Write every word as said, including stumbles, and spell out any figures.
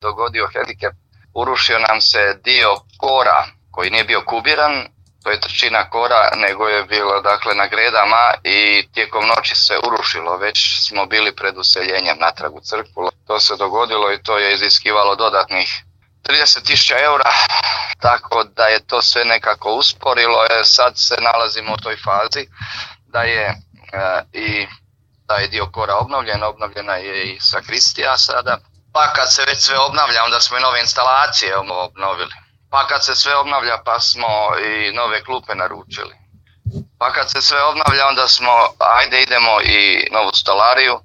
dogodio hendikep. Urušio nam se dio kora koji nije bio kubiran, to je trećina kora, nego je bilo dakle na gredama i tijekom noći se urušilo. Već smo bili pred useljenjem natrag u crkvu. To se dogodilo i to je iziskivalo dodatnih trideset tisuća eura, tako da je to sve nekako usporilo. E, sad se nalazimo u toj fazi da je e, i taj dio kora obnovljen, obnovljena je i sakristija sada. Pa kad se već sve obnavlja, onda smo i nove instalacije obnovili. Pa kad se sve obnavlja, pa smo i nove klupe naručili. Pa kad se sve obnavlja, onda smo, ajde idemo i novu stolariju.